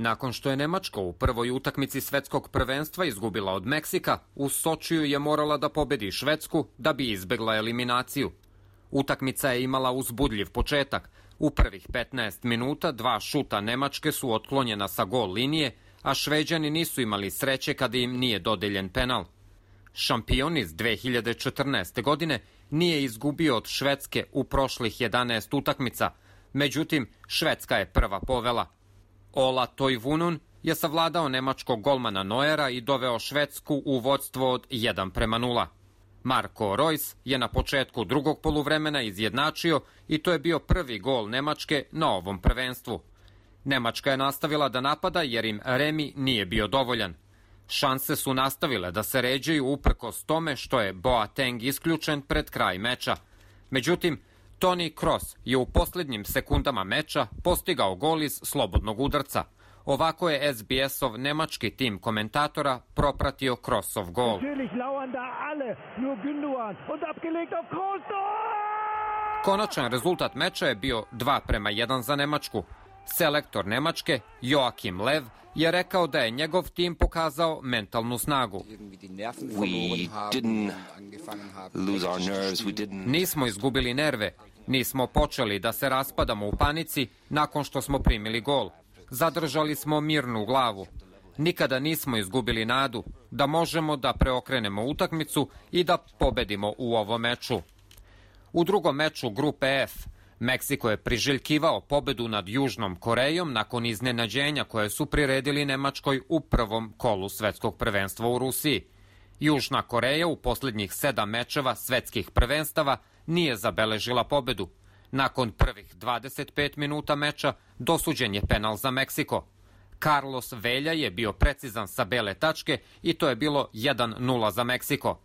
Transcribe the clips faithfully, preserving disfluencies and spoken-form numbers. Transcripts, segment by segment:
Nakon što je Nemačka u prvoj utakmici svetskog prvenstva izgubila od Meksika, u Sočiju je morala da pobedi Švedsku da bi izbegla eliminaciju. Utakmica je imala uzbudljiv početak. U prvih petnaest minuta dva šuta Nemačke su otklonjena sa gol linije, a Šveđani nisu imali sreće kada im nije dodeljen penal. Šampion iz dve hiljade četrnaeste. godine nije izgubio od Švedske u prošlih jedanaest utakmica, međutim Švedska je prva povela. Ola Toivunun je savladao nemačkog golmana Neuera i doveo Švedsku u vođstvo od jedan prema nula. Marko Reus je na početku drugog poluvremena izjednačio i to je bio prvi gol Nemačke na ovom prvenstvu. Nemačka je nastavila da napada jer im remi nije bio dovoljan. Šanse su nastavile da se ređaju uprkos tome što je Boateng isključen pred kraj meča. Međutim, Toni Kroos je u posljednjim sekundama meča postigao gol iz slobodnog udarca. Ovako je S B S-ov nemački tim komentatora propratio Kroosov gol. Konačan rezultat meča je bio dva prema jedan za Nemačku. Selektor Nemačke, Joachim Lev, je rekao da je njegov tim pokazao mentalnu snagu. Nismo izgubili nerve, nismo počeli da se raspadamo u panici nakon što smo primili gol. Zadržali smo mirnu glavu. Nikada nismo izgubili nadu da možemo da preokrenemo utakmicu i da pobedimo u ovom meču. U drugom meču grupe F, Meksiko je priželjkivao pobedu nad Južnom Korejom nakon iznenađenja koje su priredili Nemačkoj u prvom kolu svetskog prvenstva u Rusiji. Južna Koreja u posljednjih sedam mečeva svetskih prvenstava nije zabeležila pobedu. Nakon prvih dvadeset pet minuta meča dosuđen je penal za Meksiko. Carlos Velja je bio precizan sa bele tačke i to je bilo jedan nula za Meksiko.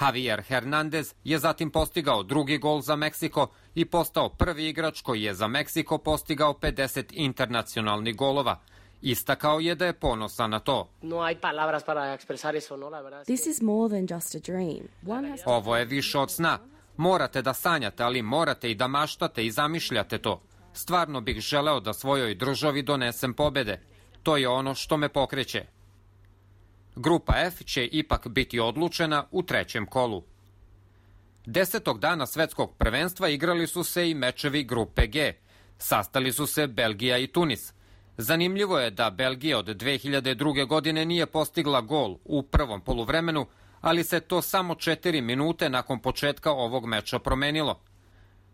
Javier Hernandez je zatim postigao drugi gol za Meksiko i postao prvi igrač koji je za Meksiko postigao pedeset internacionalnih golova. Istakao je da je ponosan na to. Ovo je više od sna. Morate da sanjate, ali morate i da maštate i zamišljate to. Stvarno bih želeo da svojoj državi donesem pobede. To je ono što me pokreće. Grupa F će ipak biti odlučena u trećem kolu. Desetog dana svetskog prvenstva igrali su se i mečevi grupe G. Sastali su se Belgija i Tunis. Zanimljivo je da Belgija od dve hiljade druge. godine nije postigla gol u prvom poluvremenu, ali se to samo četiri minute nakon početka ovog meča promenilo.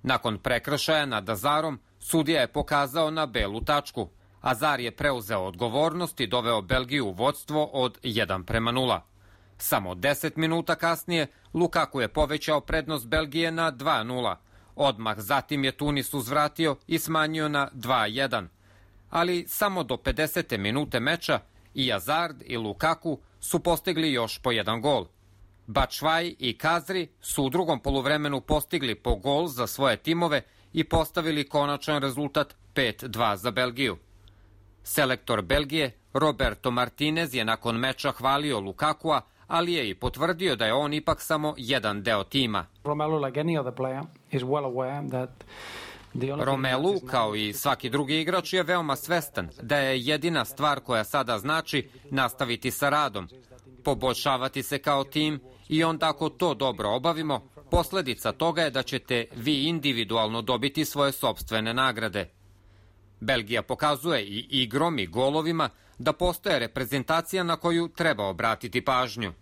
Nakon prekršaja nad Azarom, sudija je pokazao na belu tačku. Azar je preuzeo odgovornost i doveo Belgiju u vođstvo od jedan prema nula. Samo deset minuta kasnije Lukaku je povećao prednost Belgije na dva nula. Odmah zatim je Tunis uzvratio i smanjio na dva jedan. Ali samo do pedesete minute meča i Hazard i Lukaku su postigli još po jedan gol. Batshuayi i Kazri su u drugom poluvremenu postigli po gol za svoje timove i postavili konačan rezultat pet dva za Belgiju. Selektor Belgije Roberto Martinez je nakon meča hvalio Lukakua, ali je i potvrdio da je on ipak samo jedan deo tima. Romelu, kao i svaki drugi igrač, je veoma svestan da je jedina stvar koja sada znači nastaviti sa radom, poboljšavati se kao tim i onda ako to dobro obavimo, posljedica toga je da ćete vi individualno dobiti svoje sopstvene nagrade. Belgija pokazuje i igrom i golovima da postoje reprezentacija na koju treba obratiti pažnju.